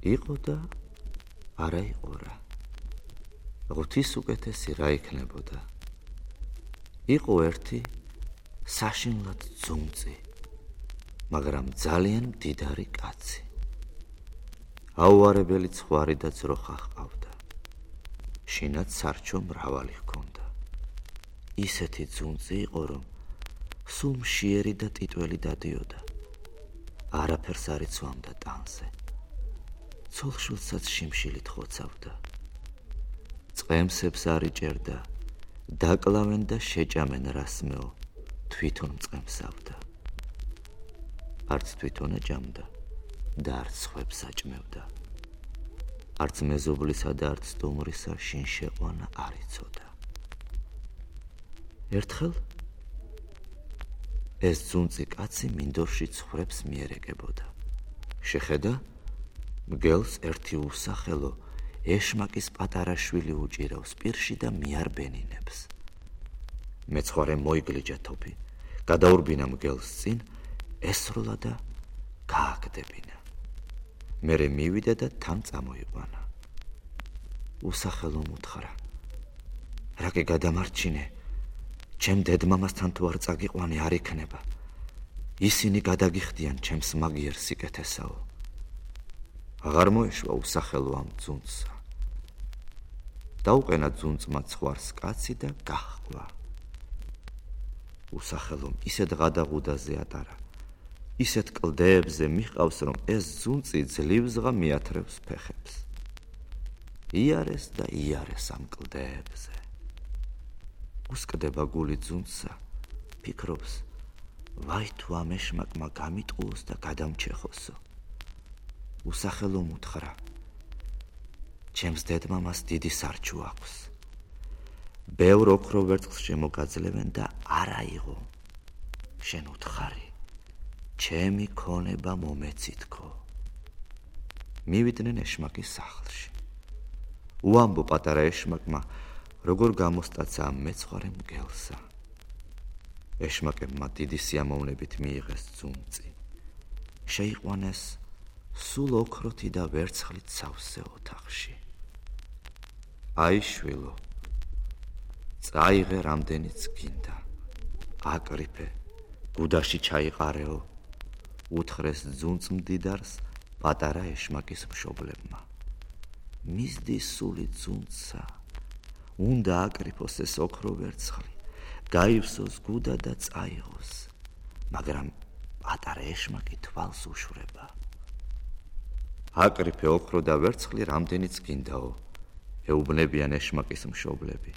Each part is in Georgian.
იყო და არა იყო რა. ღვთის უკეთესი რა იქნებოდა. იყო ერთი საშინლად ძუნწი, მაგრამ ძალიან მდიდარი კაცი. აუარებელი ცხვარი და ძროხა ჰყავდა. შინად სარჩო მრავალი ჰქონდა. ისეთი ძუნწი იყო, რომ სულ მშიერი და ტიტველი დადიოდა. არაფერს არ იცვამდა ტანზე. ცოლშვილსაც შიმშილით ხოცავდა. წყემსებს არ იჭერდა, დაკლავენ და შეჭამენ რასმეო, თვითონ მწყემსავდა. არც თვითონ ეჭამდა და არც სხვებს აჭმევდა. არც მეზობლისა და არც სტუმრისა შინ შეყვანა არ იცოდა. ერთხელ ეს ძუნწი კაცი მინდორში ცხრებს მიერეგებოდა. შეხედა, მგელს ერთი უსახელო ეშმაკის პატარა შვილი უჭირავს პირში და მიარბენინებს. მეცხვარე მოიგლიჯა თოფი, გადაურბინა მგელს წინ, ესროლა და გააგდებინა. მერე მივიდა და თან წამოიყვანა. უსახელომ უთხრა: რაკე გადამარჩინე, ჩემ დედმამასთან თუ არ წაგიყვანი არ იქნება. ისინი გადაგიხდიან ჩემს მაგიერ სიკეთესაო. აღარ მოეშვა უსახელო ამ ძუნწსა. დაუყენა ძუნწმა ცხვარს კაცი და გაჰყვა. უსახელომ ისეთ ღადაღუდაზე ატარა, ისეთ კლდეებზე მიჰყავს, რომ ეს ძუნწი ძლივსღა მიათრევს ფეხებს. იარეს და იარეს ამ კლდეებზე. უსკდება გული ძუნწსა, ფიქრობს, ვაი თუ ამ ეშმაკმა გამიტყუოს და გადამჩეხოსო. უსახელომ უთხრა: ჩემს დედმამას დიდი სარჩო აქვს. ბევრ ოქრო ვერცხლს შემოგაძლევენ და არა იღო. შენ უთხარი, ჩემი ქონება მომეცითქო. მივიდნენ ეშმაკის სახლში. უამბო პატარა ეშმაკმა, როგორ გამოსტაცა ამ მეცხვარე მგელსა. ეშმაკებმა დიდი სიამოვნებით მიიღეს ძუნწი. შეიყვანეს სულ ოქროთი და ვერცხლით სავსე ოთახში. აი შვილო, წაიღე რამდენიც გინდა. აკრიფე, გუდაში ჩაიყარეო, უთხრეს ძუნწ მდიდარს პატარა ეშმაკის მშობლებმა. მისდი სული ძუნწსა, უნდა აკრიფოს ეს ოქრო ვერცხლი, გაივსოს გუდა და წაიღოს, მაგრამ პატარა ეშმაკი თვალს უშვრება. აკრიფე ოქრო და ვერცხლი რამდენიც გინდაო, ეუბნებიან ეშმაკის მშობლები.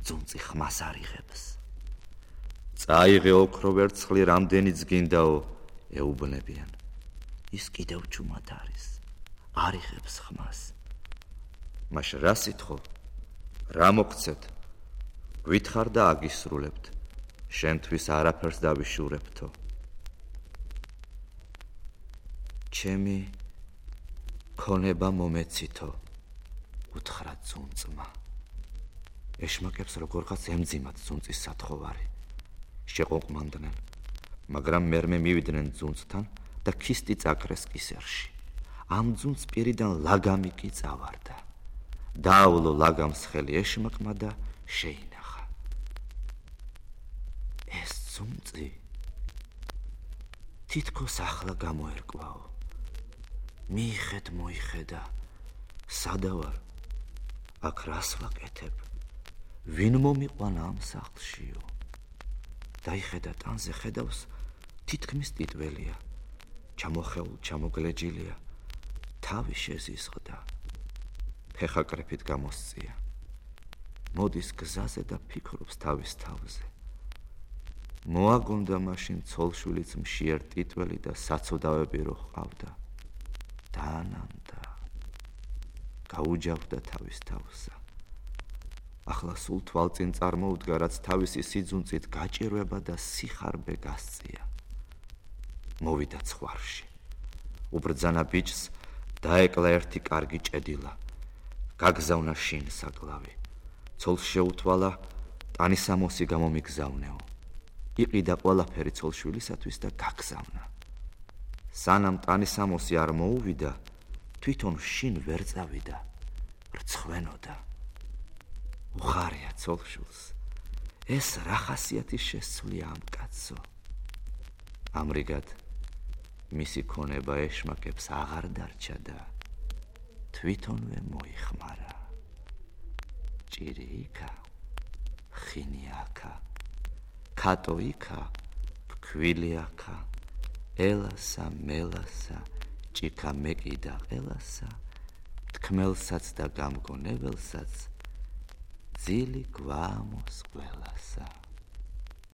ძუნწი ხმას არ იღებს. წაიღე ოქრო ვერცხლი რამდენიც გინდაო, ეუბნებიან. ის კიდევ ჩუმად არის, არ იღებს ხმას. მაშ რა სითხო, რა მოგცეთ? გვითხრ და აგისრულებთ, შენთვის არაფერს დავიშურებთო. ჩემი ქონება მომეცითო, უთხრა ძუნწმა. ეშმაკებს როგორღაც ემძიმათ ძუნწის სათხოვარი. შეყოყმანდნენ, მაგრამ მერმე მივიდნენ ძუნწთან და ქისტი წაკრეს კისერში. ამ ძუნწ პირიდან ლაგამი კი წავარდა. დაავლო ლაგამს ხელი ეშმაკმა და შეინახა. ეს ძუნწი თითქოს ახლა გამოერკვაო. მიიხედ მოიხედა, სადა ვარ, აქ რას ვაკეთებ, ვინ მომიყვანა ამ სახლშიო. დაიხედა ტანზე, ხედავს, თითქმის ტიტველია, ჩამოხეულ, ჩამოგლეჯილია, თავი შეზიზღდა, ფეხაკრეფით გამოსწია. მოდის გზაზე და ფიქრობს თავის თავზე. მოაგონდა მაშინ ცოლშვილიც მშიერ ტიტველი და საცოდავები რო ჰყავდა. დაანანდა, გაუჯავდა თავის თავსა. ახლა სულ თვალწინ წარმოუდგა, რაც თავისი სიძუნწით გაჭირვება და სიხარბე გასწია. მოვიდა ცხვარში. უბრძანა ბიჭს, დაეკლა ერთი კარგი ჭედილა. გაგზავნა შინ საკლავი. ცოლს შეუთვალა, ტანისამოსი გამომიგზავნეო. იყიდა ყველაფერი ცოლშვილისათვის და გაგზავნა. სანამ ტანისამოსი არ მოუვიდა, თვითონ შინ ვერ წავიდა, რცხვენოდა. უხარია ცოლშულს, ეს რა ხასიათის შესწვლია ამ კაცო. ამრიგად მისი ქონება ეშმაკებს აღარ დარჩა და თვითონვე მოიხმარა. ჭირი იქა, ხინი აქა, ქატო იქა, ფქვილი აქა, ელასა, მელასა, ჭიქა მეკიდა ყელასა, თქმელსაც და გამგონებელსაც ძილი გვამოს ყველასა.